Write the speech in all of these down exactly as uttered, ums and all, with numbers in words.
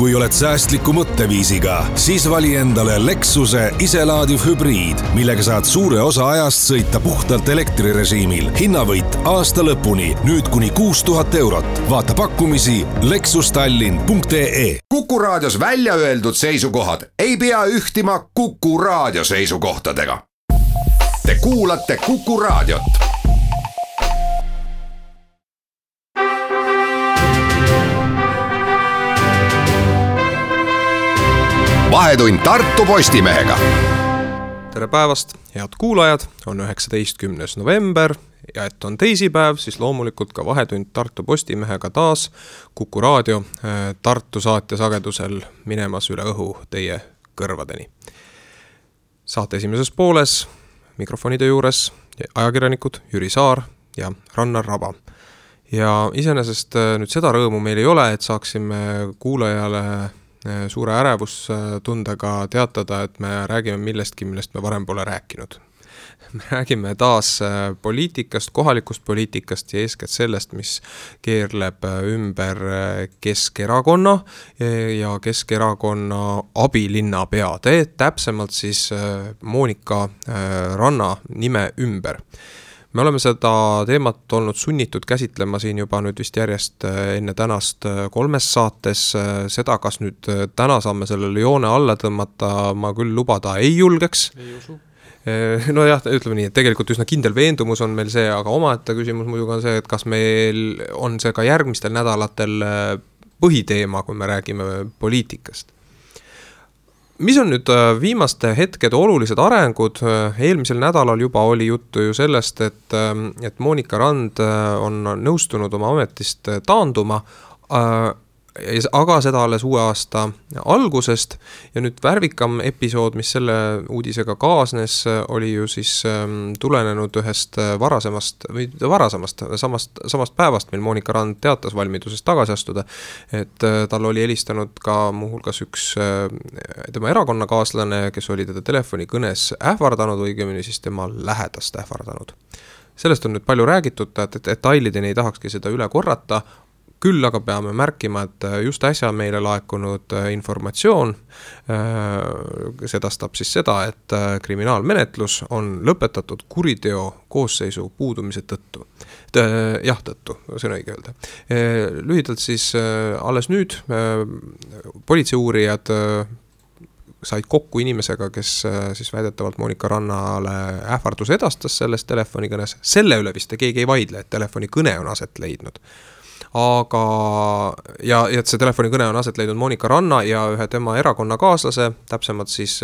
Kui oled säästliku mõtteviisiga, siis vali endale Lexuse iselaadiv hübriid, millega saad suure osa ajast sõita puhtalt elektrirežiimil. Hinnavõit aasta lõpuni, nüüd kuni kuus tuhat eurot. Vaata pakkumisi lexustallin punkt ee. Kuku raadios välja öeldud seisukohad ei pea ühtima Kuku raadio seisukohtadega. Te kuulate Kuku raadiot. Vahetund Tartu Postimehega. Tere päevast, head kuulajad, on üheksateistkümnes november ja et on teisipäev, siis loomulikult ka Vahetund Tartu Postimehega taas Kuku raadio Tartu saate sagedusel minemas üle õhu teie kõrvadeni. Saate esimeses pooles mikrofonide juures ajakirjanikud Jüri Saar ja Rannar Raba. Ja iseenesest nüüd seda rõõmu meil ei ole, et saaksime kuulajale suure ärevustundega teatada, et me räägime millestki, millest me varem pole rääkinud. Me räägime taas poliitikast, kohalikust poliitikast ja eeskätt sellest, mis keerleb ümber Keskerakonna ja Keskerakonna abilinnapea. Täpsemalt siis Moonika Ranna nime ümber. Me oleme seda teemat olnud sunnitud käsitlema siin juba nüüd vist järjest enne tänast kolmes saates. Seda, kas nüüd täna saame sellele joone alla tõmmata, ma küll lubada ei julgeks. Ei usu. No jah, ütleme nii, et tegelikult üsna kindel veendumus on meil see, aga omaette küsimus muidugi on see, et kas meil on see ka järgmistel nädalatel põhiteema, kui me räägime poliitikast. Mis on nüüd viimaste hetkede olulised arengud? Eelmisel nädalal juba oli juttu ju sellest, et, et Moonika Rand on nõustunud oma ametist taanduma, aga seda alles uue aasta algusest. Ja nüüd värvikam episood, mis selle uudisega kaasnes, oli ju siis tulenenud ühest varasemast, või varasemast, samast, samast päevast, mil Moonika Rand teatas valmidusest tagasi astuda. Et tal oli helistanud ka muuhulgas üks tema erakonnakaaslane, kes oli teda telefonikõnes ähvardanud, õigemini siis tema lähedast ähvardanud. Sellest on nüüd palju räägitud, et detailideni ei tahakski seda üle korrata. Küll aga peame märkima, et just äsja meile laekunud informatsioon sedastab siis seda, et kriminaalmenetlus on lõpetatud kuriteo koosseisu puudumise tõttu. Jah, tõttu, see on õige öelda. Lühidalt siis alles nüüd politseiuurijad said kokku inimesega, kes siis väidetavalt Moonika Rannale ähvardus edastas selles telefonikõnes. Selle üle vist keegi ei vaidle, et telefonikõne on aset leidnud. Aga, ja, ja et see telefonikõne on aset leidnud Moonika Ranna ja ühe tema erakonnakaaslase, täpsemalt siis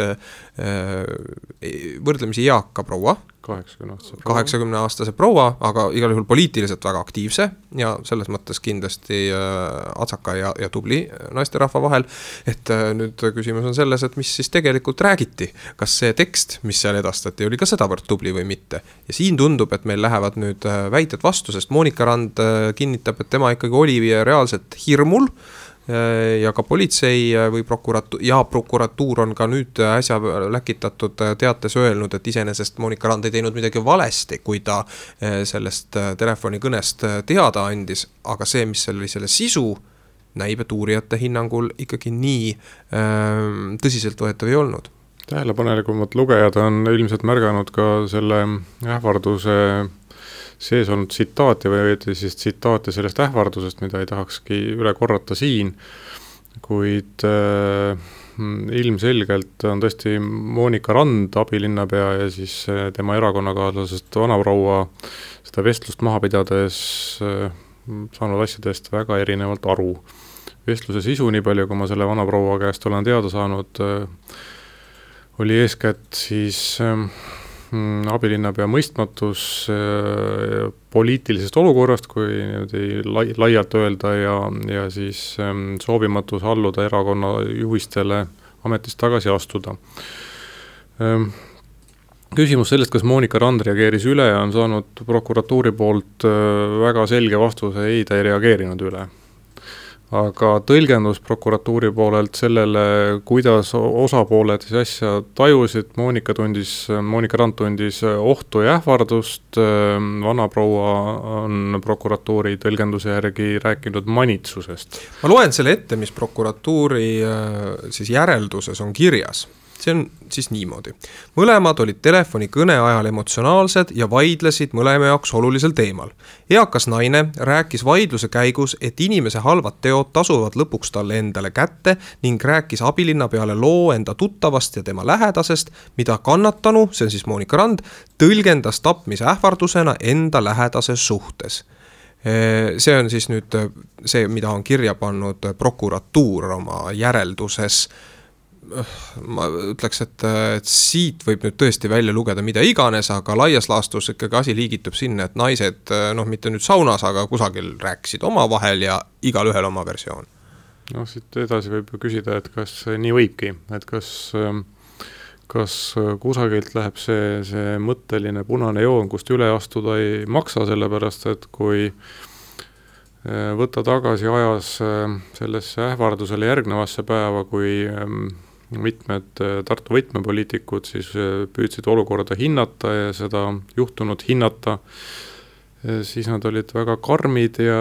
võrdlemisi eaka proua, kaheksakümne aastase proua, aga igal juhul poliitiliselt väga aktiivse ja selles mõttes kindlasti atsaka ja, ja tubli naisterahva vahel. Et nüüd küsimus on selles, et mis siis tegelikult räägiti. Kas see tekst, mis seal edastati, oli ka sedavõrd tubli või mitte. Ja siin tundub, et meil lähevad nüüd väited vastu, sest Moonika Rand kinnitab, et tema ikkagi oli reaalselt hirmul ja ka politsei või prokuratuur ja prokuratuur on ka nüüd äsja läkitatud teates öelnud, et iseenesest Moonika Rand ei teinud midagi valesti, kui ta sellest telefonikõnest teada andis, aga see, mis selle, selle sisu näib, et uurijate hinnangul ikkagi nii tõsiselt võetav ei olnud. Tähelepanelikumad lugejad on ilmselt märganud ka selle ähvarduse sees olnud tsitaati või siis tsitaati sellest ähvardusest, mida ei tahakski üle korrata siin, kuid äh, ilmselgelt on tõesti Moonika Rand, abilinnapea ja siis tema erakonnakaaslasest vanaproua seda vestlust maha pidades äh, saanud asjadest väga erinevalt aru. Vestluse sisu, nii palju, kui ma selle vanaproua käest olen teada saanud, äh, oli eeskätt siis äh, abilinnapea mõistmatus äh, poliitilisest olukorrast, kui lai, laialt öelda ja, ja siis ähm, soovimatus alluda erakonna juhistele ametist tagasi astuda. Ähm, küsimus sellest, kas Moonika Rand reageeris üle, on saanud prokuratuuri poolt äh, väga selge vastuse, ei, ta ei reageerinud üle. aga tõlgendus prokuratuuri poolelt sellele, kuidas osapooled siis asja tajusid, Monika tundis, Monika Rand tundis ohtu ja ähvardust, vanaproua on prokuratuuri tõlgenduse järgi rääkinud manitsusest. Ma loen selle ette, mis prokuratuuri siis järelduses on kirjas. See on siis niimoodi. Mõlemad olid telefoni kõne ajal emotsionaalsed ja vaidlesid mõlema jaoks olulisel teemal. Eakas naine rääkis vaidluse käigus, et inimese halvad teod tasuvad lõpuks talle endale kätte ning rääkis abilinna peale loo enda tuttavast ja tema lähedasest, mida kannatanu, see on siis Monika Rand, tõlgendas tapmise ähvardusena enda lähedase suhtes. See on siis nüüd see, mida on kirja pannud prokuratuur oma järelduses. Ma ütleks, et, et siit võib nüüd tõesti välja lugeda mida iganes, aga laias laastus ikkagi asi liigitub sinna, et naised, noh mitte nüüd saunas, aga kusagil rääkisid oma vahel ja igal ühel oma versioon. No siit edasi võib küsida, et kas nii võibki, et kas, kas kusagilt läheb see, see mõtteline punane joon, kust üle astuda ei maksa, sellepärast, et kui võtta tagasi ajas sellesse ähvardusele järgnevasse päeva, kui mitmed Tartu võtmepoliitikud siis püüdsid olukorda hinnata ja seda juhtunut hinnata, siis nad olid väga karmid ja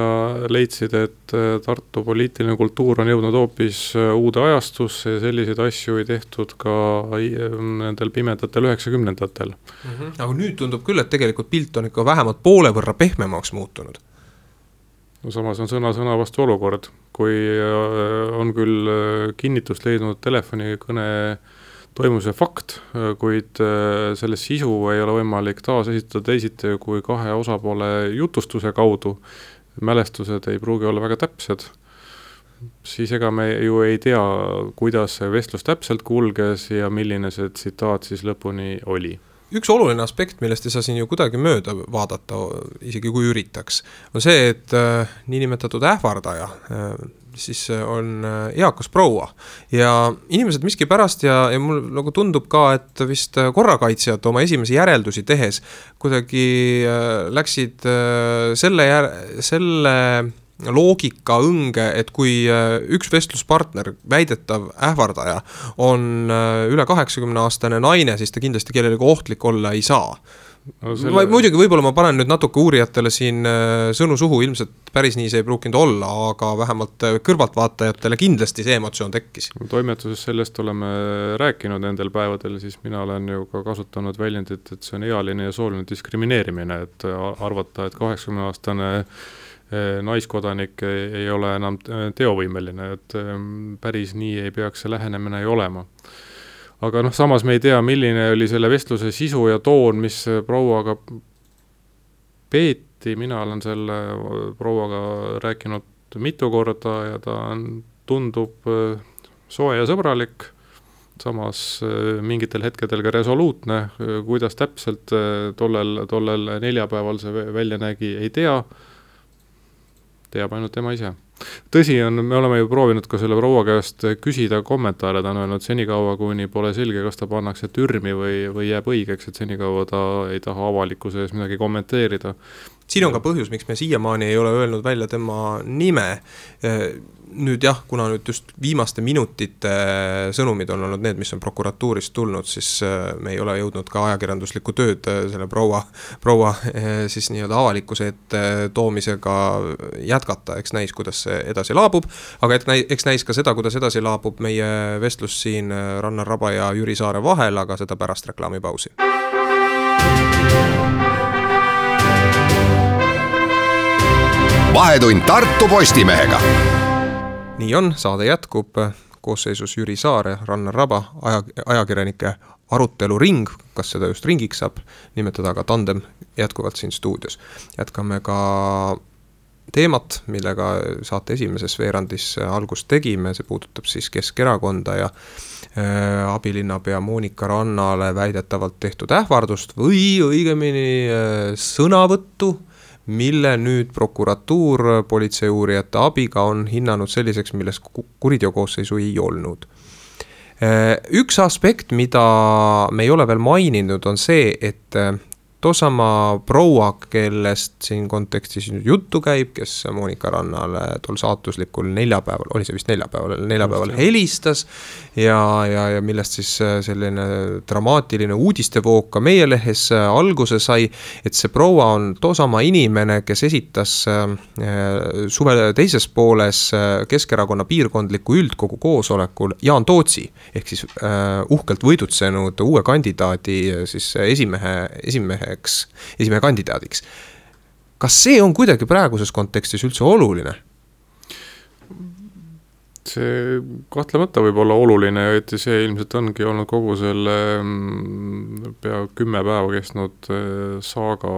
leidsid, et Tartu poliitiline kultuur on jõudnud hoopis uude ajastusse ja selliseid asju ei tehtud ka nendel pimedatel üheksakümnendatel. Mm-hmm. Aga nüüd tundub küll, et tegelikult pilt on ikka vähemalt poole võrra pehmemaks muutunud. No samas on sõna sõna vastu olukord, kui on küll kinnitust leidnud telefonikõne toimuse fakt, kuid selle sisu ei ole võimalik taas esitada teisiti kui kahe osapoole jutustuse kaudu. Mälestused ei pruugi olla väga täpsed. Siis ega me ju ei tea, kuidas see vestlus täpselt kulges ja milline see tsitaat siis lõpuni oli. Üks oluline aspekt, millest ei saa siin ju kuidagi mööda vaadata, isegi kui üritaks, on see, et äh, niinimetatud ähvardaja äh, siis on äh, eakas proua ja inimesed miski pärast ja, ja mul nagu tundub ka, et vist korrakaitsjad oma esimesi järeldusi tehes kuidagi äh, läksid äh, selle, jär, selle loogika õnge, et kui üks vestluspartner, väidetav ähvardaja, on üle kaheksakümne aastane naine, siis ta kindlasti kellelegi ohtlik olla ei saa. No selle... Muidugi võib-olla ma panen nüüd natuke uurijatele siin sõnu suhu, ilmselt päris nii see ei pruukinud olla, aga vähemalt kõrvaltvaatajatele kindlasti see emotsioon tekkis. Toimetuses sellest oleme rääkinud nendel päevadel, siis mina olen ju ka kasutanud väljendit, et see on ealine ja sooline diskrimineerimine, et arvata, et kaheksakümne aastane naiskodanik ei ole enam teovõimeline, et päris nii ei peaks see lähenemine ei olema. Aga noh, samas me ei tea, milline oli selle vestluse sisu ja toon, mis prouaga peeti. Mina olen selle prouaga rääkinud mitu korda ja ta tundub soe ja sõbralik, samas mingitel hetkedel ka resoluutne, kuidas täpselt tollel, tollel neljapäeval see välja nägi, ei tea. Teab ainult tema ise. Tõsi on, me oleme ju proovinud ka selle proua käest küsida kommentaare, ta on öelnud senikaua, kuni pole selge, kas ta pannakse türmi või, või jääb õigeks, et senikaua ta ei taha avalikkuse ees midagi kommenteerida. Siin on ka põhjus, miks me siiamaani ei ole öelnud välja tema nime. Nüüd jah, kuna nüüd just viimaste minutite sõnumid on olnud need, mis on prokuratuurist tulnud, siis me ei ole jõudnud ka ajakirjanduslikku tööd selle proua, proua siis nii-öelda avalikkuse ette toomisega jätkata, eks näis, kuidas see edasi laabub, aga eks näis ka seda, kuidas edasi laabub meie vestlus siin Rannar Raba ja Jüri Saare vahel, aga seda pärast reklaamipausi. Vahetund Tartu Postimehega. Nii on, saade jätkub koosseisus Jüri Saare, Rannar Raba, aja, ajakirjanike aruteluring, kas seda just ringiks saab nimetada, aga tandem jätkuvalt siin stuudios. Jätkame ka teemat, millega saate esimeses veerandis algust tegime, see puudutab siis Keskerakonda ja äh, abilinnapea Monika Rannale väidetavalt tehtud ähvardust või õigemini äh, sõnavõttu, mille nüüd prokuratuur politseiuurijate abiga on hinnanud selliseks, milles kuriteokoosseisu ei olnud. Üks aspekt, mida me ei ole veel maininud, on see, et toosama proua, kellest siin kontekstis juttu käib, kes Monika Rannale tol saatuslikul neljapäeval, oli see vist neljapäeval, neljapäeval helistas ja, ja, ja millest siis selline dramaatiline uudistevoog ka meie lehes alguse sai, et see proua on toosama inimene, kes esitas suve teises pooles Keskerakonna piirkondliku üldkogu koosolekul Jaan Tootsi, ehk siis uhkelt võidutsenud uue kandidaadi siis esimehe, esimeheks, esimehe kandidaadiks. Kas see on kuidagi praeguses kontekstis üldse oluline? See kahtlemata võib olla oluline ja et see ilmselt ongi olnud kogu selle pea kümme päeva kestnud saaga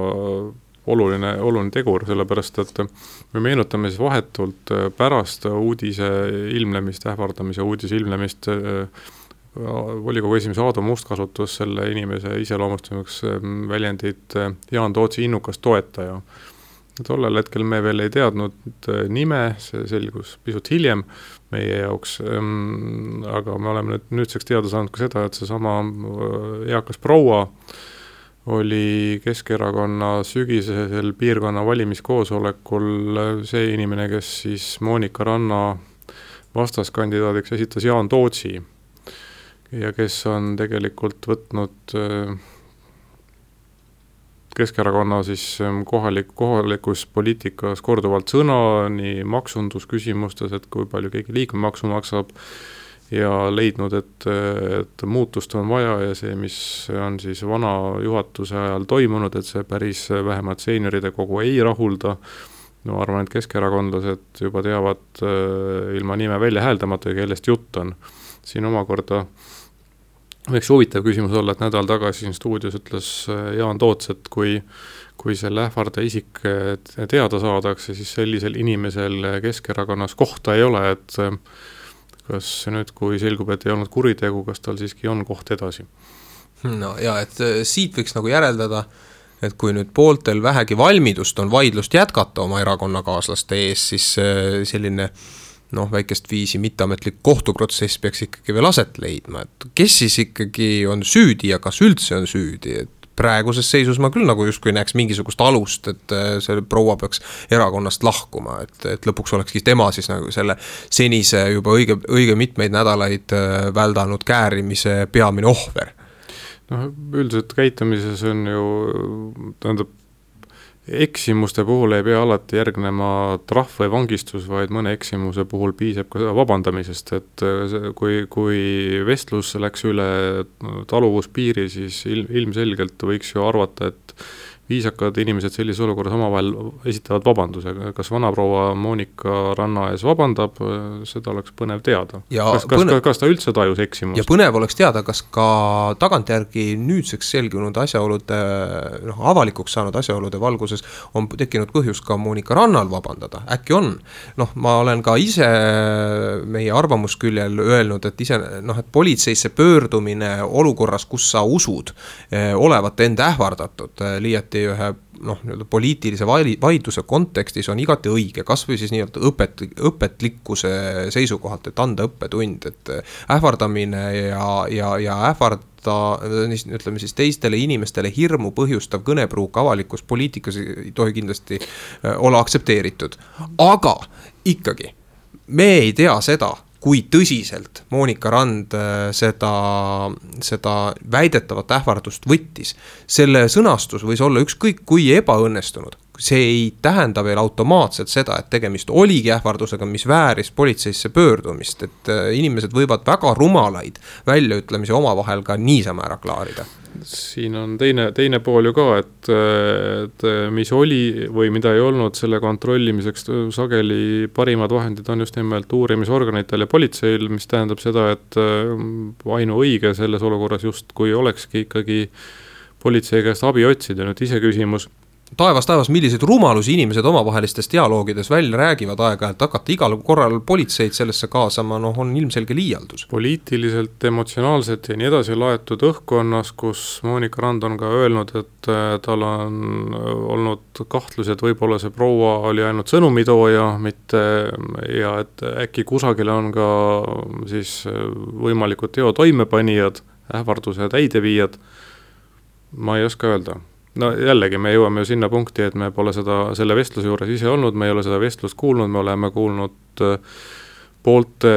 oluline, oluline tegur, sellepärast, et me meenutame siis vahetult pärast uudise ilmlemist, ähvardamise uudise ilmlemist volikogu esimees Aadu Must kasutus selle inimese iseloomustamiseks väljendit Jaan Tootsi innukas toetaja. Tollel hetkel me veel ei teadnud nime, see selgus pisut hiljem meie jaoks, aga me oleme nüüd, nüüdseks teada saanud ka seda, et see sama eakas proua oli Keskerakonna sügisesel piirkonna valimiskoosolekul see inimene, kes siis Monika Ranna vastaskandidaadiks esitas Jaan Tootsi ja kes on tegelikult võtnud Keskerakonna siis kohalik, kohalikus poliitikas korduvalt sõna nii maksundusküsimustes, et kui palju keegi liikmemaksu maksab ja leidnud, et, et muutust on vaja ja see, mis on siis vana juhatuse ajal toimunud, et see päris vähemalt seenioride kogu ei rahulda. No arvan, et keskerakondlased juba teavad ilma nime välja hääldamata, kellest jutt on. Siin omakorda võiks huvitav küsimus olla, et nädal tagasi siin stuudios ütles Jaan Toots, et kui, kui selle ähvarda isik teada saadakse, siis sellisel inimesel Keskerakonnas kohta ei ole, et kas nüüd, kui selgub, et ei olnud kuritegu, kas tal siiski on koht edasi? No ja, et siit võiks nagu järeldada, et kui nüüd pooltel vähegi valmidust on vaidlust jätkata oma erakonnakaaslaste ees, siis selline noh, väikest viisi mitteametlik kohtuprotsess peaks ikkagi veel aset leidma, et kes siis ikkagi on süüdi ja kas üldse on süüdi, et praeguses seisus ma küll nagu justkui näeks mingisugust alust, et see proua peaks erakonnast lahkuma, et, et lõpuks olekski tema siis nagu selle senise juba õige, õige mitmeid nädalaid väldanud käärimise peamine ohver. No, üldiselt käitumises on ju, tähendab, eksimuste puhul ei pea alati järgnema trahv või vangistus, vaid mõne eksimuse puhul piisab ka vabandamisest, et kui, kui vestlus läks üle taluvuspiiri, siis ilmselgelt võiks ju arvata, et viisakad inimesed sellises olukorras omavahel esitavad vabanduse. Kas vanaproua Monika Ranna ees vabandab, seda oleks põnev teada. Kas, kas, põnev, kas ta üldse tajus eksimust? Ja põnev oleks teada, kas ka tagantjärgi nüüdseks selginud asjaolude, noh, avalikuks saanud asjaolude valguses on tekkinud põhjus ka Monika Rannal vabandada. Äkki on. Noh, ma olen ka ise meie arvamusküljel öelnud, et ise, noh, et politseisse pöördumine olukorras, kus sa usud olevat enda ähvardatud, liiati ühe noh, poliitilise vaidluse kontekstis on igati õige, kas või siis nii-öelda õpet, õpetlikkuse seisukohalt, et anda õppetund, et ähvardamine ja, ja, ja ähvarda, ütleme siis teistele inimestele hirmu põhjustav kõnepruuk avalikus poliitikas ei tohi kindlasti olla aktsepteeritud. Aga ikkagi, me ei tea seda, kui tõsiselt Monika Rand seda, seda väidetavat ähvardust võttis. Selle sõnastus võis olla ükskõik kui ebaõnnestunud. See ei tähenda veel automaatselt seda, et tegemist oligi ähvardusega, mis vääris politseisse pöördumist, et inimesed võivad väga rumalaid väljaütlemisi omavahel ka niisama ära klaarida. Siin on teine, teine pool ju ka, et, et mis oli või mida ei olnud selle kontrollimiseks sageli parimad vahendid on just nimelt uurimisorganitel ja politseil, mis tähendab seda, et ainuõige selles olukorras just kui olekski ikkagi politsei käest abi otsida. Nüüd ise küsimus, taevas, taevas, milliseid rumalusi inimesed omavahelistes dialoogides välja räägivad aega, et hakata igal korral politseid sellesse kaasama, noh, on ilmselge liialdus. Poliitiliselt, emotsionaalselt ja nii edasi laetud õhkkonnas, kus Monika Rand on ka öelnud, et tal on olnud kahtlused, võib-olla see proua oli ainult sõnumitooja, mitte, ja et äkki kusagil on ka siis võimalikud teo toimepanijad, ähvarduse täideviijad, ma ei oska öelda. no jällegi, me jõuame ju sinna punkti, et me pole seda, selle vestluse juures ise olnud, me ei ole seda vestlust kuulnud, me oleme kuulnud poolte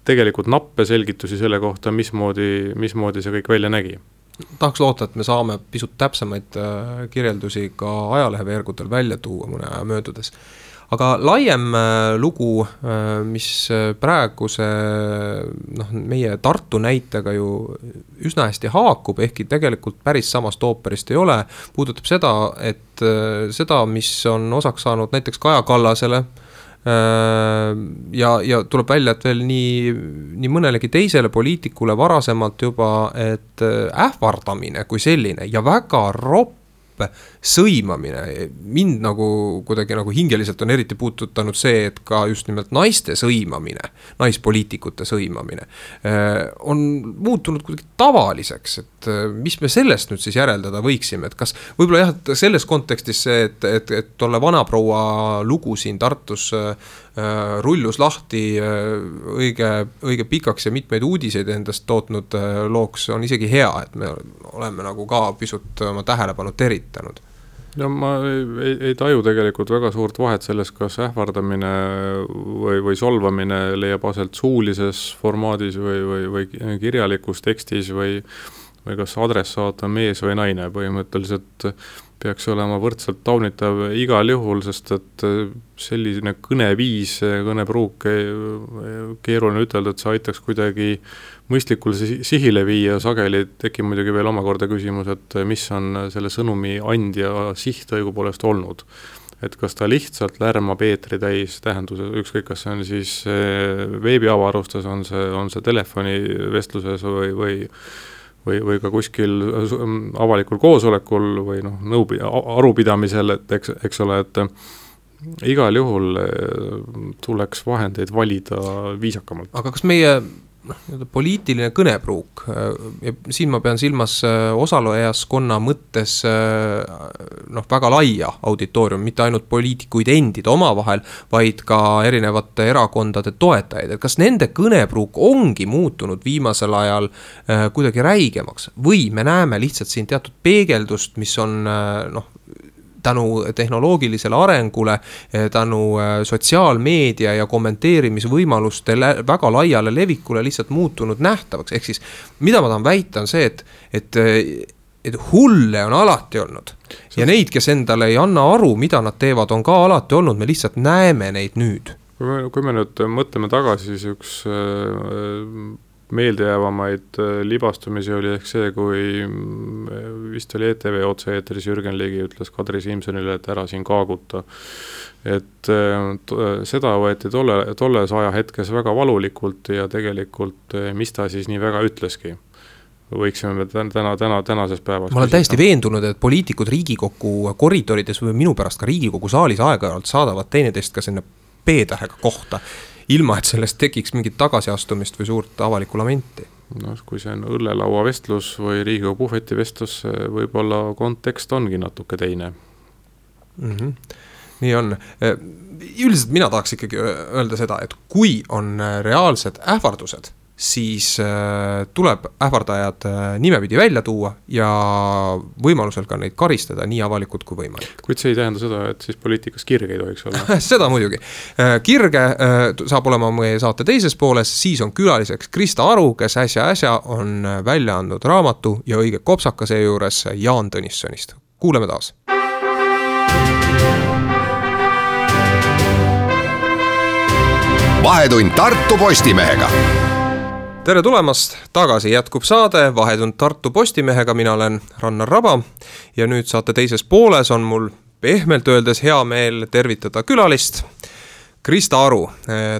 tegelikult nappe selgitusi selle kohta, mismoodi, mismoodi see kõik välja nägi. Tahaks loota, et me saame pisut täpsemaid kirjeldusi ka ajaleheveergudel välja tuua mõne aja möödudes. Aga laiem lugu, mis praeguse noh, meie Tartu näitega ju üsna hästi haakub, ehkki tegelikult päris samast ooperist ei ole, puudutab seda, et seda, mis on osaks saanud näiteks Kaja Kallasele, ja, ja tuleb välja, et veel nii, nii mõnelegi teisele poliitikule varasemalt juba, et ähvardamine kui selline ja väga ropp sõimamine, mind nagu kuidagi nagu hingeliselt on eriti puututanud see, et ka just nimelt naiste sõimamine, naispoliitikute sõimamine on muutunud kuidagi tavaliseks, et mis me sellest nüüd siis järeldada võiksime, et kas võib-olla jah, et selles kontekstis see, et, et, et tolle vanaproua lugu siin Tartus rullus lahti õige, õige pikaks ja mitmeid uudiseid endast tootnud looks on isegi hea, et me oleme nagu ka pisut oma tähelepanu teritanud. Ja ma ei, ei taju tegelikult väga suurt vahet selles, kas ähvardamine või, või solvamine leiab aselt suulises formaadis või, või, või kirjalikus tekstis või, või kas adressaat on mees või naine. Põhimõtteliselt peaks olema võrdselt taunitav igal juhul, sest et selline kõneviis, kõnepruuk, keeruline ütelda, et see aitaks kuidagi mõistlikul sihile viia, sageli tekib muidugi veel omakorda küsimus, et mis on selle sõnumi andja siht õigupoolest olnud. Et kas ta lihtsalt lärmab eetri täis tähenduse, ükskõik kas see on siis veebiavarustes, on see, on see telefonivestluses või, või või, või ka kuskil avalikul koosolekul või noh, nõubi, arupidamisel, et eks, eks ole, et igal juhul tuleks vahendeid valida viisakamalt. Aga kas meie noh, poliitiline kõnepruuk, ja siin ma pean silmas osalejaskonna mõttes noh, väga laia auditoorium, mitte ainult poliitikuid endid oma vahel, vaid ka erinevate erakondade toetajaid, et kas nende kõnepruuk ongi muutunud viimasel ajal kuidagi räigemaks või me näeme lihtsalt siin teatud peegeldust, mis on noh, tänu tehnoloogilisele arengule, tänu sotsiaalmeedia ja kommenteerimisvõimaluste väga laiale levikule lihtsalt muutunud nähtavaks. Ehk siis, mida ma tahan väita on see, et, et, et hulle on alati olnud. Ja neid, kes endale ei anna aru, mida nad teevad, on ka alati olnud. Me lihtsalt näeme neid nüüd. Kui me, kui me nüüd mõtleme tagasi, siis üks meeldejäävamaid libastumisi oli ehk see, kui vist oli E T V otse-eetris Jürgen Ligi ütles Kadri Simsonile, et ära siin kaaguta. Et seda võeti tolle, tolles aja hetkes väga valulikult ja tegelikult mis ta siis nii väga ütleski. Võiksime täna, täna, tänases päevas ma olen täiesti veendunud, et poliitikud Riigikogu koridorides või minu pärast ka Riigikogu saalis aeg-ajalt saadavad teineteist ka sinna P-tähega kohta, ilma et sellest tekiks mingit tagasiastumist või suurt avalikku lamenti. No, kui see on õllelaua vestlus või Riigikogu puhveti vestlus, võib-olla kontekst ongi natuke teine. Mm-hmm. Nii on. Üldiselt mina tahaks ikkagi öelda seda, et kui on reaalsed ähvardused, siis tuleb ähvardajad nimepidi välja tuua ja võimalusel ka neid karistada nii avalikult kui võimalik. Kuid see ei tähenda seda, et siis poliitikas kirge ei tohiks olla. Seda muidugi. Kirge saab olema meie saate teises pooles, siis on külaliseks Krista Aru, kes äsja-äsja on välja andnud raamatu ja õige kopsaka seejuures Jaan Tõnissonist. Kuuleme taas. Vahetund Tartu Postimehega. Tere tulemast, tagasi jätkub saade Vahetund Tartu Postimehega, mina olen Rannar Raba ja nüüd saate teises pooles on mul pehmelt öeldes hea meel tervitada külalist Krista Aru,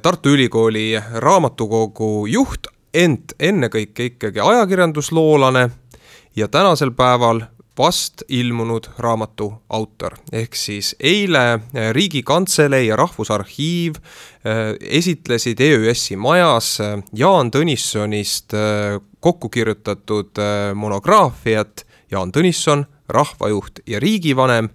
Tartu Ülikooli raamatukogu juht, ent ennekõike ikkagi ajakirjandusloolane ja tänasel päeval vast ilmunud raamatu autor. Ehk siis eile Riigikantselei ja Rahvusarhiiv esitlesid E Ü S-i majas Jaan Tõnissonist kokku kirjutatud monograafiat Jaan Tõnisson, rahvajuht ja riigivanem.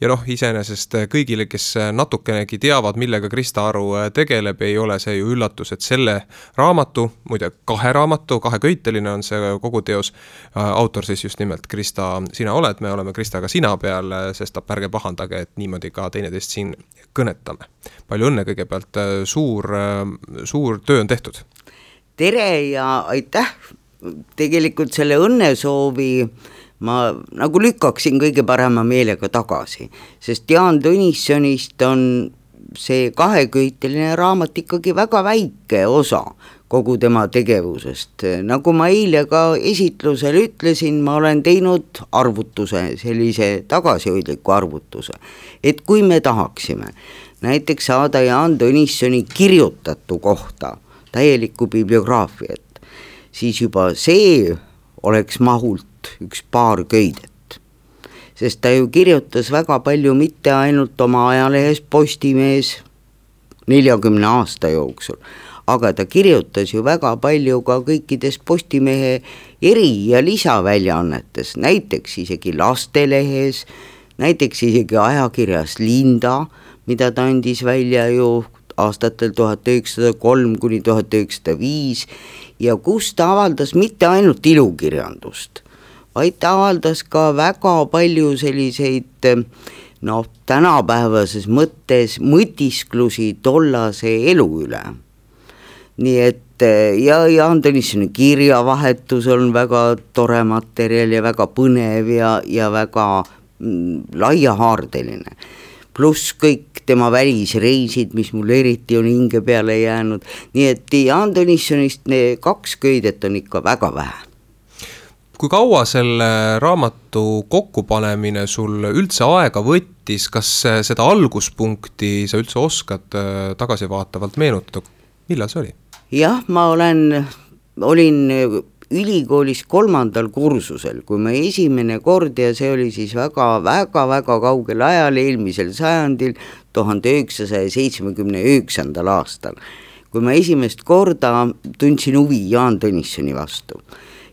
ja noh, iseenesest kõigile, kes natukenegi teavad, millega Krista Aru tegeleb, ei ole see ju üllatus, et selle raamatu, muide kahe raamatu, kahe köiteline on see kogu teos, autor siis just nimelt Krista, sina oled, me oleme Kristaga sina peal, sest ärge pahandage, et niimoodi ka teineteist siin kõnetame. Palju õnne kõigepealt, suur, suur töö on tehtud. Tere ja aitäh, tegelikult selle õnnesoovi ma nagu lükkaksin kõige parema meelega tagasi, sest Jaan Tõnissonist on see kaheköiteline raamat ikkagi väga väike osa kogu tema tegevusest. Nagu ma eile ka esitlusel ütlesin, ma olen teinud arvutuse, sellise tagasihoidliku arvutuse, et kui me tahaksime näiteks saada Jaan Tõnissoni kirjutatu kohta täielikku bibliograafiat, siis juba see oleks mahult üks paar köidet. Sest ta ju kirjutas väga palju mitte ainult oma ajalehes Postimees neljakümne aasta jooksul, aga ta kirjutas ju väga palju ka kõikides Postimehe eri- ja lisaväljaannetes, näiteks isegi lastelehes, näiteks isegi ajakirjas Linda, mida ta andis välja ju aastatel tuhat üheksasada kolm kuni tuhat üheksasada viis ja kus ta avaldas mitte ainult ilukirjandust, vaid ta avaldas ka väga palju selliseid noh, tänapäevases mõttes mõtisklusi tollase elu üle. Nii et ja Jaan Tõnissoni kirjavahetus on väga tore materjal ja väga põnev ja, ja väga mm, laiahaardeline. Pluss kõik tema välisreisid, mis mul eriti on hinge peale jäänud. Nii et Jaan Tõnissonist kaks köidet on ikka väga vähe. Kui kaua selle raamatu kokkupanemine sul üldse aega võttis, kas seda alguspunkti sa üldse oskad tagasivaatavalt meenutada? Millal see oli? Jah, ma olen, olin ülikoolis kolmandal kursusel, kui ma esimene kord ja see oli siis väga, väga, väga kaugel ajal eelmisel sajandil tuhande üheksasaja seitsmekümne üheksandal aastal, kui ma esimest korda tundsin huvi Jaan Tõnissoni vastu.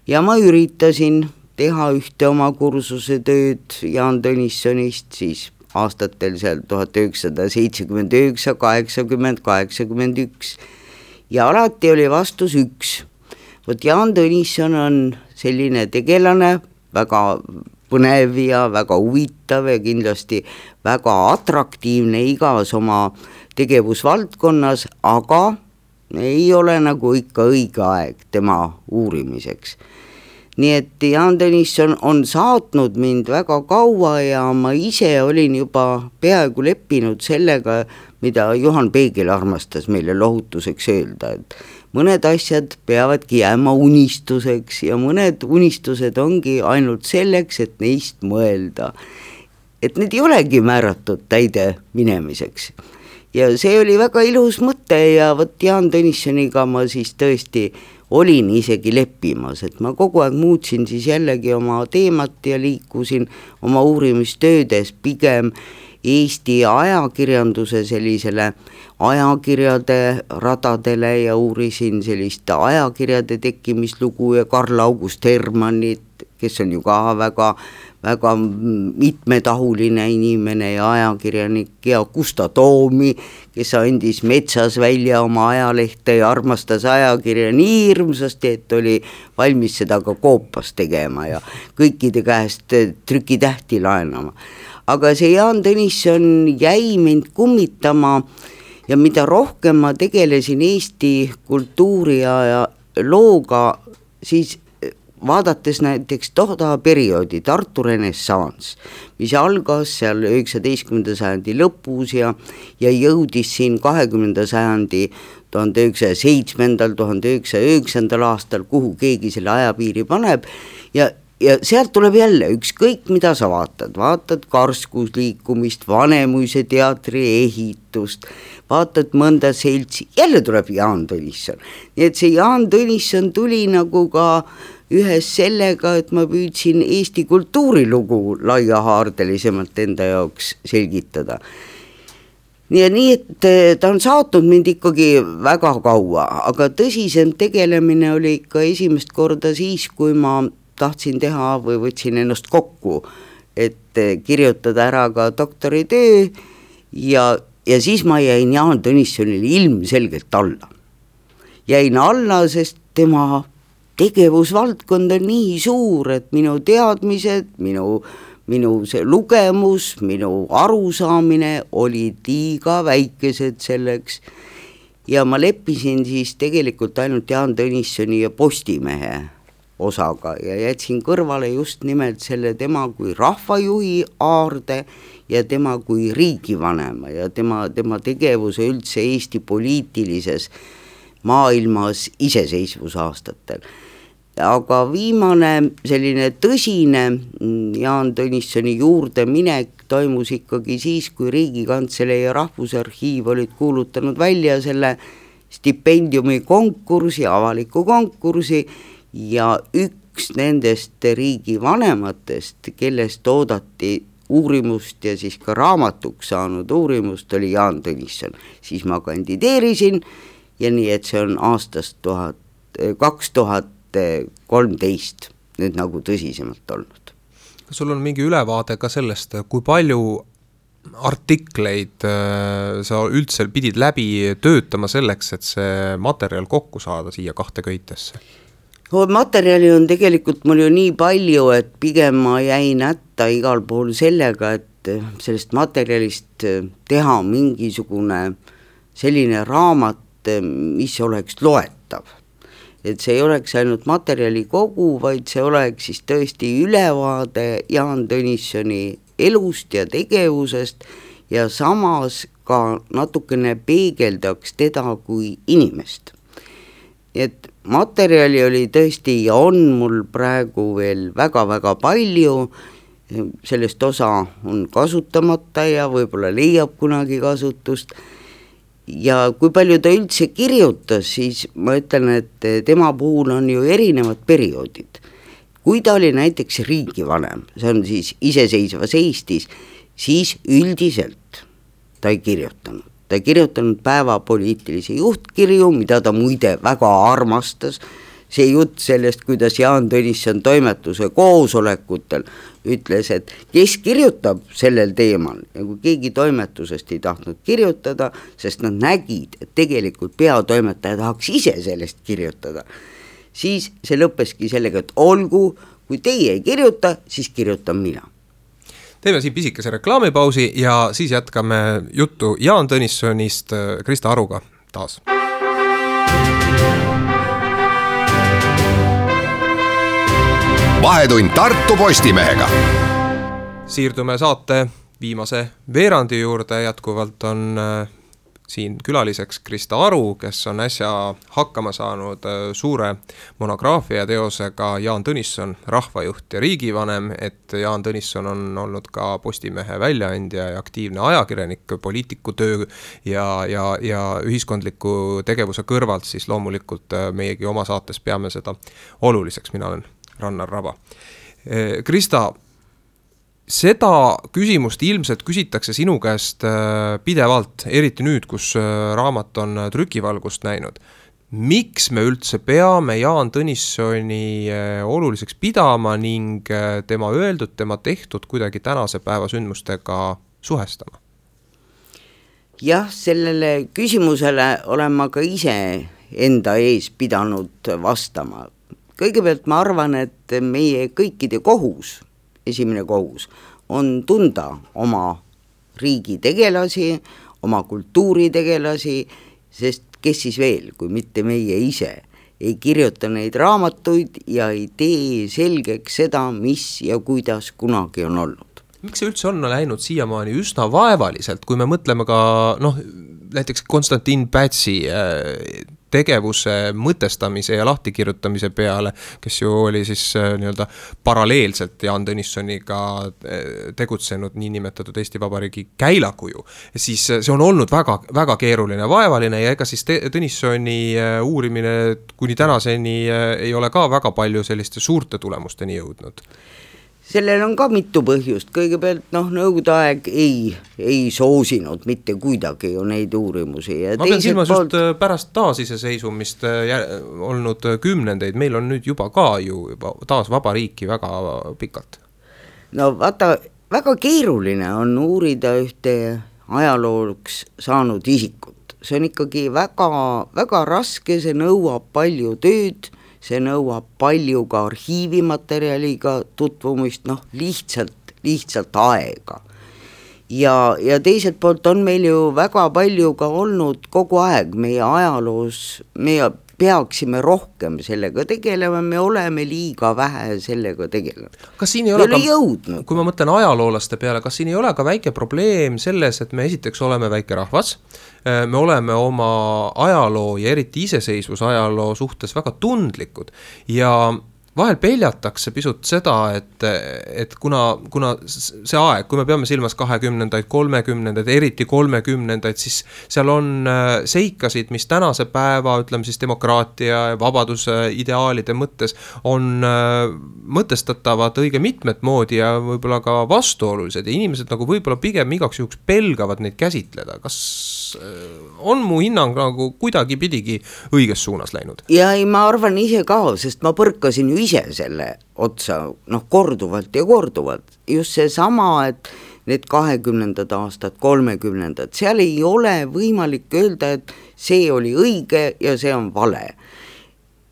Ja ma üritasin teha ühte oma kursuse tööd Jaan Tõnissonist siis aastatel seal tuhat üheksasada seitsekümmend üheksa, kaheksakümmend, kaheksakümmend üks ja alati oli vastus üks. Vot Jaan Tõnisson on selline tegelane, väga põnev ja väga huvitav ja kindlasti väga atraktiivne igas oma tegevusvaldkonnas, aga ei ole nagu ikka õige aeg tema uurimiseks. Nii et Jaan Tõnisson on saatnud mind väga kaua ja ma ise olin juba peaaegu leppinud sellega, mida Juhan Peegel armastas meile lohutuseks öelda, et mõned asjad peavadki jääma unistuseks ja mõned unistused ongi ainult selleks, et neist mõelda. Et need ei olegi määratud täide minemiseks. Ja see oli väga ilus mõte ja võt Jaan Tõnissoniga ma siis tõesti olin isegi leppimas, et ma kogu aeg muutsin siis jällegi oma teemat ja liikusin oma uurimistöödes pigem Eesti ajakirjanduse sellisele ajakirjade radadele ja uurisin sellist ajakirjade tekkimislugu ja Karl August Hermannit, kes on ju ka väga, väga mitmetahuline inimene ja ajakirjanik ja Gustav Toomi, kes andis Metsas välja oma ajalehte ja armastas ajakirja nii hirmsasti, et oli valmis seda ka koopas tegema ja kõikide käest trükitähti laenama. Aga see Jaan Tõnisson jäi mind kummitama ja mida rohkem ma tegelesin Eesti kultuuri ja looga, siis vaadates näiteks toda perioodi Tartu renessans, mis algas seal üheksateistkümnenda sajandi lõpus ja, ja jõudis siin kahekümnenda sajandi tuhande üheksasaja seitsmendal, tuhande üheksasaja üheksandal aastal, kuhu keegi selle ajapiiri paneb ja Ja sealt tuleb jälle ükskõik, mida sa vaatad, vaatad karskusliikumist, Vanemuise teatri ehitust, vaatad mõnda seltsi, jälle tuleb Jaan Tõnisson. Nii et see Jaan Tõnisson tuli nagu ka ühes sellega, et ma püüdsin Eesti kultuurilugu laiahaardelisemalt enda jaoks selgitada. Nii, nii et ta on saatnud mind ikkagi väga kaua, aga tõsisem tegelemine oli ikka esimest korda siis, kui ma tahtsin teha või võtsin ennast kokku et kirjutada ära ka doktoritöö ja, ja siis ma jäin Jaan Tõnissonile ilmselgelt alla. Jäin alla, sest tema tegevusvaldkond on nii suur, et minu teadmised, minu, minu see lugemus, minu arusaamine olid liiga väikesed selleks ja ma leppisin siis tegelikult ainult Jaan Tõnissoni ja Postimehe osaga ja jätsin kõrvale just nimelt selle tema kui rahvajuhi aarde ja tema kui riigivanema ja tema, tema tegevuse üldse Eesti poliitilises maailmas iseseisvusaastatel. Aga viimane selline tõsine Jaan Tõnissoni juurde minek toimus ikkagi siis, kui Riigikantselei ja Rahvusarhiiv olid kuulutanud välja selle stipendiumi konkursi, avaliku konkursi ja üks nendest riigivanematest, kellest oodati uurimust ja siis ka raamatuks saanud uurimust, oli Jaan Tõnisson. Siis ma kandideerisin ja nii, et see on aastast tuhat, kaks tuhat kolmteist nüüd nagu tõsisemalt olnud. Kas sul on mingi ülevaade ka sellest, kui palju artikleid sa üldse pidid läbi töötama selleks, et see materjal kokku saada siia kahte köitesse? Materjali on tegelikult mul ju nii palju, et pigem ma jäin hätta igal pool sellega, et sellest materjalist teha mingisugune selline raamat, mis oleks loetav. Et see ei oleks ainult materjali kogu, vaid see oleks siis tõesti ülevaade Jaan Tõnissoni elust ja tegevusest ja samas ka natukene peegeldaks teda kui inimest. Et materjali oli tõesti ja on mul praegu veel väga-väga palju, sellest osa on kasutamata ja võib-olla leiab kunagi kasutust. Ja kui palju ta üldse kirjutas, siis ma ütlen, et tema puhul on ju erinevad perioodid. Kui ta oli näiteks riigivanem, see on siis iseseisvas Eestis, siis üldiselt ta ei kirjutanud. Ta ei kirjutanud päevapoliitilisi juhtkirju, mida ta muide väga armastas. See jutt sellest, kuidas Jaan Tõnisson toimetuse koosolekutel ütles, et kes kirjutab sellel teemal, ja kui keegi toimetusest ei tahtnud kirjutada, sest nad nägid, et tegelikult peatoimetaja tahaks ise sellest kirjutada, siis see lõppeski sellega, et olgu, kui teie ei kirjuta, siis kirjutan mina. Teeme siin pisikese reklaamipausi ja siis jätkame juttu Jaan Tõnissonist Krista Aruga taas. Vahetund Tartu Postimehega. Siirdume saate viimase veerandi juurde, jätkuvalt on siin külaliseks Krista Aru, kes on äsja hakkama saanud suure monograafia teosega Jaan Tõnisson, rahvajuht ja riigivanem, et Jaan Tõnisson on olnud ka Postimehe väljaandja ja aktiivne ajakirjanik, poliitikutöö ja, ja, ja ühiskondliku tegevuse kõrvalt, siis loomulikult meiegi oma saates peame seda oluliseks, mina olen Rannar Raba. Krista, seda küsimust ilmselt küsitakse sinu käest pidevalt, eriti nüüd, kus raamat on trükivalgust näinud. Miks me üldse peame Jaan Tõnissoni oluliseks pidama ning tema öeldud, tema tehtud kuidagi tänase päeva sündmustega suhestama? Jah, sellele küsimusele olen ma ka ise enda ees pidanud vastama. Kõigepealt ma arvan, et meie kõikide kohus, esimene kohus, on tunda oma riigi tegelasi, oma kultuuri tegelasi, sest kes siis veel, kui mitte meie ise, ei kirjuta neid raamatuid ja ei tee selgeks seda, mis ja kuidas kunagi on olnud. Miks see üldse on läinud siiamaani üsna vaevaliselt, kui me mõtleme ka noh, näiteks Konstantin Pätsi tegevuse mõtestamise ja lahtikirjutamise peale, kes ju oli siis nii-öelda paralleelselt Jaan Tõnissoniga tegutsenud niinimetatud Eesti Vabariigi käilakuju, siis see on olnud väga, väga keeruline, vaevaline ja ega siis Tõnissoni uurimine kuni tänaseni ei ole ka väga palju selliste suurte tulemusteni jõudnud. Sellel on ka mitu põhjust, kõigepealt noh, nõukogude aeg ei, ei soosinud mitte kuidagi ju neid uurimusi. Ja ma pean silmas poolt... just pärast taasiseseisumist olnud kümnendeid, meil on nüüd juba ka ju juba taas vaba riiki väga pikalt. no vaata, väga keeruline on uurida ühte ajalooks saanud isikut, see on ikkagi väga, väga raske, see nõuab palju tööd, see nõuab palju ka arhiivimaterjaliga tutvumist, noh lihtsalt, lihtsalt aega. Ja, ja teiselt poolt on meil ju väga palju ka olnud kogu aeg meie ajaloos, meie peaksime rohkem sellega tegelema, me oleme liiga vähe sellega tegelenud. Kas siin ei ole, ei ole ka, kui ma mõtlen ajaloolaste peale, kas siin ei ole ka väike probleem selles, et me esiteks oleme väike rahvas, me oleme oma ajaloo ja eriti iseseisvusajaloo suhtes väga tundlikud ja vahel peljatakse pisut seda, et, et kuna, kuna see aeg, kui me peame silmas kahekümnendaid, kolmekümnendaid, eriti kolmekümnendaid, siis seal on seikasid, mis tänase päeva, ütleme siis demokraatia ja vabaduse ideaalide mõttes on mõtestatavad õige mitmet moodi ja võib-olla ka vastuolulised ja inimesed nagu võib-olla pigem igaks juhuks pelgavad neid käsitleda. Kas on mu hinnang nagu kuidagi pidigi õiges suunas läinud? Ja ei, ma arvan ise ka, sest ma põrkasin ju ise selle otsa, noh korduvalt ja korduvalt, just see sama, et need kahekümnendad aastad, kolmekümnendad, seal ei ole võimalik öelda, et see oli õige ja see on vale.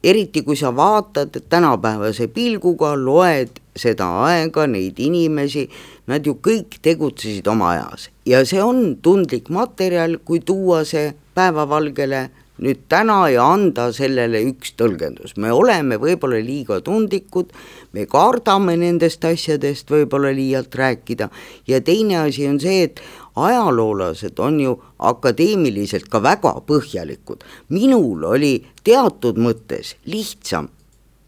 Eriti kui sa vaatad tänapäevase pilguga, loed seda aega, neid inimesi, nad ju kõik tegutsesid oma ajas ja see on tundlik materjal, kui tuua see päevavalgele nüüd täna ja anda sellele üks tõlgendus. Me oleme võib-olla liiga tundlikud, me kardame nendest asjadest võib-olla liialt rääkida ja teine asi on see, et ajaloolased on ju akadeemiliselt ka väga põhjalikud. Minul oli teatud mõttes lihtsam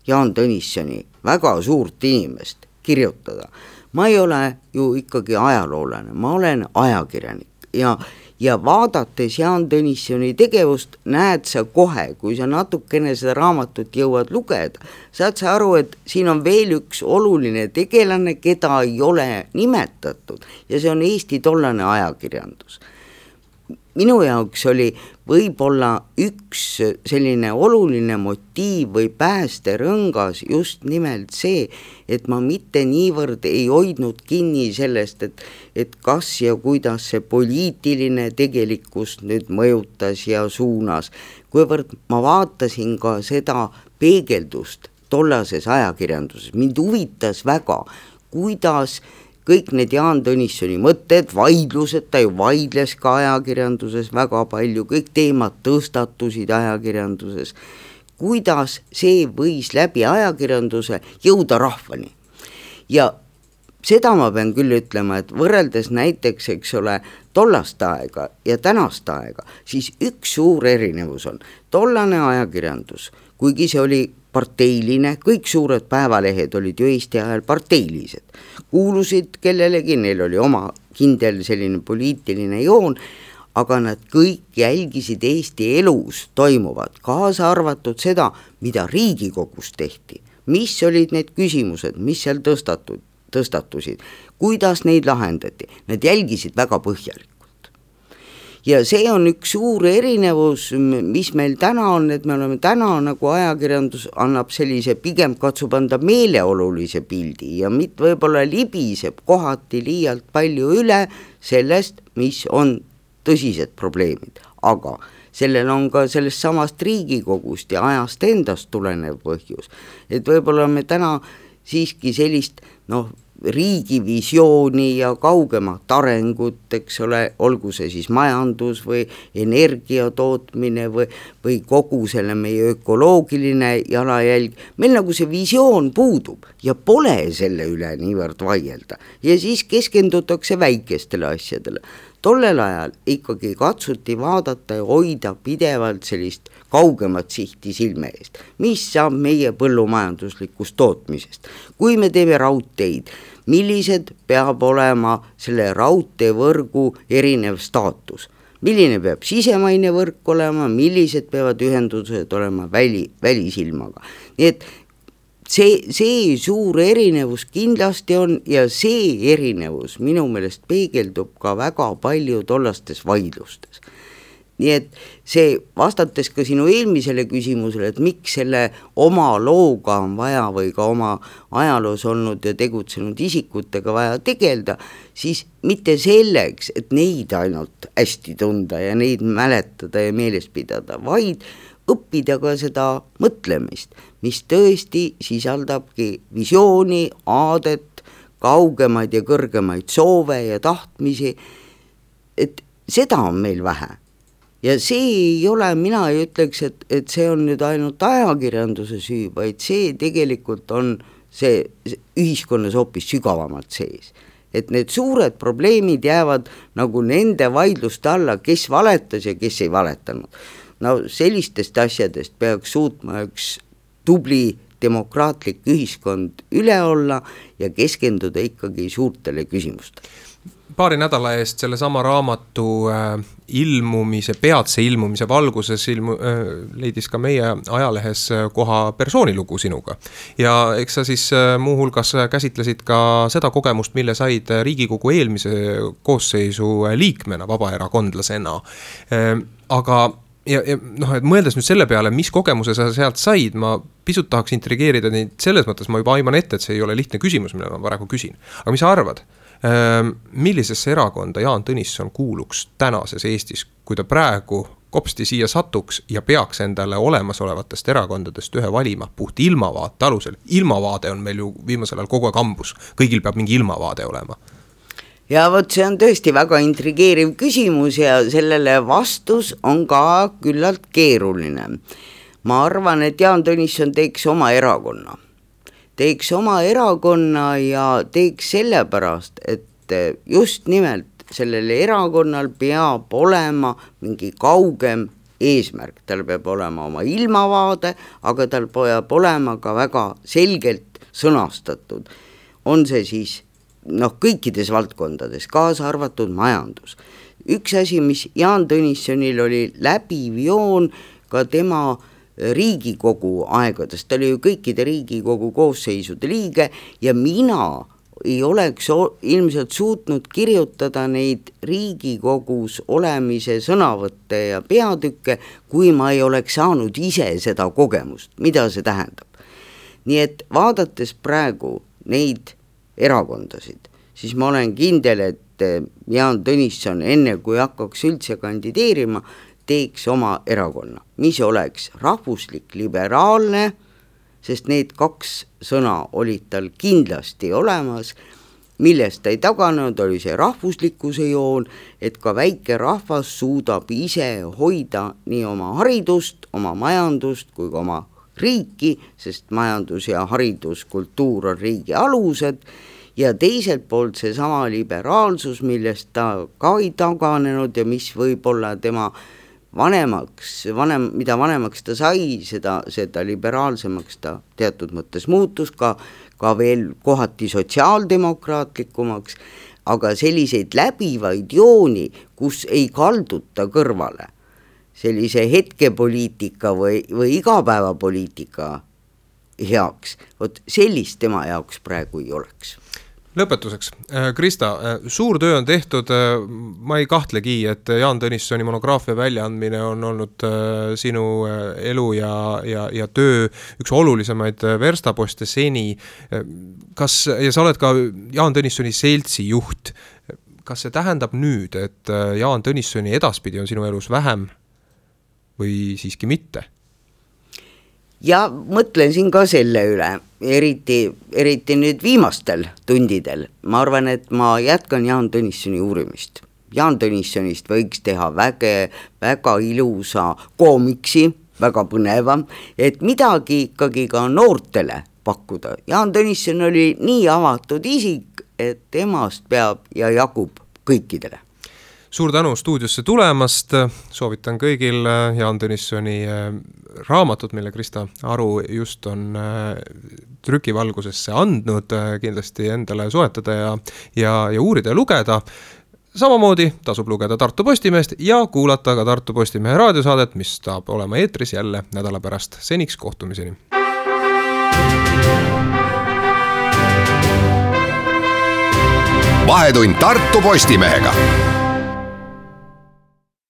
Jaan Tõnissoni väga suurt inimest kirjutada. Ma ei ole ju ikkagi ajaloolane, ma olen ajakirjanik ja ja vaadates Jaan Tõnissoni tegevust näed sa kohe, kui sa natukene seda raamatut jõuad lugeda, saad sa aru, et siin on veel üks oluline tegelane, keda ei ole nimetatud ja see on Eesti tollane ajakirjandus. Minu jaoks oli võib-olla üks selline oluline motiiv või päästerõngas just nimelt see, et ma mitte niivõrd ei hoidnud kinni sellest, et, et kas ja kuidas see poliitiline tegelikkus nüüd mõjutas ja suunas, kuivõrd ma vaatasin ka seda peegeldust tollases ajakirjanduses. Mind huvitas väga, kuidas kõik need Jaan Tõnissoni mõtted, vaidlused, ta ju vaidles ka ajakirjanduses väga palju, kõik teemad tõstatusid ajakirjanduses, kuidas see võis läbi ajakirjanduse jõuda rahvani. Ja seda ma pean küll ütlema, et võrreldes näiteks, eks ole, tollast aega ja tänast aega, siis üks suur erinevus on tollane ajakirjandus, kuigi see oli parteiline, kõik suured päevalehed olid ju Eesti ajal parteilised, kuulusid kellelegi, neil oli oma kindel selline poliitiline joon, aga nad kõik jälgisid Eesti elus toimuvat, kaasa arvatud seda, mida Riigikogus tehti, mis olid need küsimused, mis seal tõstatud, tõstatusid, kuidas neid lahendati, nad jälgisid väga põhjalikult. Ja see on üks suur erinevus, mis meil täna on, et me oleme täna nagu ajakirjandus annab sellise, pigem katsub anda meeleolulise pildi ja mitte võib-olla libiseb kohati liialt palju üle sellest, mis on tõsised probleemid, aga sellel on ka sellest samast Riigikogust ja ajast endast tulenev põhjus, et võib-olla me täna siiski sellist, noh, riigivisiooni ja kaugemat arengut, eks ole, olgu see siis majandus või energia tootmine või, või kogu selle meie ökoloogiline jalajälg, meil nagu see visioon puudub ja pole selle üle niivõrd vaielda ja siis keskendutakse väikestele asjadele. Tollel ajal ikkagi katsuti vaadata ja hoida pidevalt sellist kaugemat sihti silme eest, mis saab meie põllumajanduslikust tootmisest. Kui me teeme raudteid, millised peab olema selle raudteevõrgu erinev staatus, milline peab sisemaine võrk olema, millised peavad ühendused olema väli, välisilmaga. Nii et see, see suur erinevus kindlasti on ja see erinevus minu meelest peegeldub ka väga palju tollastes vaidlustes. nii et see, vastates ka sinu eelmisele küsimusele, et miks selle oma looga on vaja või ka oma ajaloos olnud ja tegutsenud isikutega vaja tegeleda, siis mitte selleks, et neid ainult hästi tunda ja neid mäletada ja meeles pidada, vaid õppida ka seda mõtlemist, mis tõesti sisaldabki visiooni, aadet, kaugemaid ja kõrgemaid soove ja tahtmisi, et seda on meil vähe. Ja see ei ole, mina ei ütleks, et, et see on nüüd ainult ajakirjanduse süü, vaid see tegelikult on see, see ühiskonnas hoopis sügavamalt sees. Et need suured probleemid jäävad nagu nende vaidluste alla, kes valetas ja kes ei valetanud. No sellistest asjadest peaks suutma üks tubli demokraatlik ühiskond üle olla ja keskenduda ikkagi suurtele küsimustele. Paari nädala eest selle sama raamatu äh, ilmumise, peatse ilmumise valguses ilmu, äh, leidis ka meie ajalehes koha persoonilugu sinuga. Ja eks sa siis äh, muuhulgas käsitlesid ka seda kogemust, mille said Riigikogu eelmise koosseisu liikmena, vabaerakondlasena. Äh, aga ja, ja noh, et mõeldes nüüd selle peale, mis kogemuse sa sealt said, ma pisut tahaks intrigeerida neid selles mõttes, ma juba aiman ette, et see ei ole lihtne küsimus, mille ma praegu küsin. Aga mis sa arvad? Millisesse erakonda Jaan Tõnisson kuuluks tänases Eestis, kui ta praegu kopsti siia satuks ja peaks endale olemasolevatest erakondadest ühe valima puht ilmavaate alusel? Ilmavaade on meil ju viimasel ajal kogu aeg ambus, kõigil peab mingi ilmavaade olema. Ja võt, see on tõesti väga intrigeeriv küsimus ja sellele vastus on ka küllalt keeruline. Ma arvan, et Jaan Tõnisson teeks oma erakonna. teeks oma erakonna ja teeks sellepärast, et just nimelt sellel erakonnal peab olema mingi kaugem eesmärk, tal peab olema oma ilmavaade, aga tal peab olema ka väga selgelt sõnastatud. On see siis noh, kõikides valdkondades, kaasa arvatud majandus. Üks asi, mis Jaan Tõnissonil oli läbiv joon ka tema Riigikogu aegadest, ta oli ju kõikide Riigikogu koosseisude liige ja mina ei oleks ilmselt suutnud kirjutada neid Riigikogus olemise sõnavõtte ja peatükke, kui ma ei oleks saanud ise seda kogemust, mida see tähendab. Nii et vaadates praegu neid erakondasid, siis ma olen kindel, et Jaan Tõnisson enne kui hakkaks üldse kandideerima, teeks oma erakonna, mis oleks rahvuslik, liberaalne, sest need kaks sõna olid tal kindlasti olemas, millest ta ei taganud, oli see rahvuslikkuse joon, et ka väike rahvas suudab ise hoida nii oma haridust, oma majandust kui ka oma riiki, sest majandus ja haridus, kultuur on riigi alused, ja teiselt poolt see sama liberaalsus, millest ta ka ei taganenud ja mis võib olla tema vanemaks, vanem, mida vanemaks ta sai, seda, seda liberaalsemaks ta teatud mõttes muutus, ka, ka veel kohati sotsiaaldemokraatlikumaks, aga selliseid läbivaid jooni, kus ei kalduta kõrvale, sellise hetkepoliitika või, või igapäevapoliitika heaks, vot sellist tema jaoks praegu ei oleks. Lõpetuseks, Krista, suur töö on tehtud, ma ei kahtlegi, et Jaan Tõnissoni monograafia väljaandmine on olnud sinu elu ja, ja, ja töö üks olulisemaid verstaposte seni. Kas, ja sa oled ka Jaan Tõnissoni seltsi juht, kas see tähendab nüüd, et Jaan Tõnissoni edaspidi on sinu elus vähem või siiski mitte? Ja mõtlen siin ka selle üle, eriti, eriti nüüd viimastel tundidel. Ma arvan, et ma jätkan Jaan Tõnissoni uurimist. Jaan Tõnissonist võiks teha väge, väga ilusa koomiksi, väga põneva, et midagi ikkagi ka noortele pakkuda. Jaan Tõnisson oli nii avatud isik, et temast peab ja jagub kõikidele. Suur tänu stuudiosse tulemast, soovitan kõigil Jaan Tõnissoni raamatut, mille Krista Aru just on trükivalgusesse andnud, kindlasti endale soetada ja, ja, ja uurida ja lugeda. Samamoodi tasub lugeda Tartu Postimeest ja kuulata ka Tartu Postimehe raadiosaadet, mis saab olema eetris jälle nädala pärast. Seniks kohtumiseni. Vahetund Tartu Postimehega.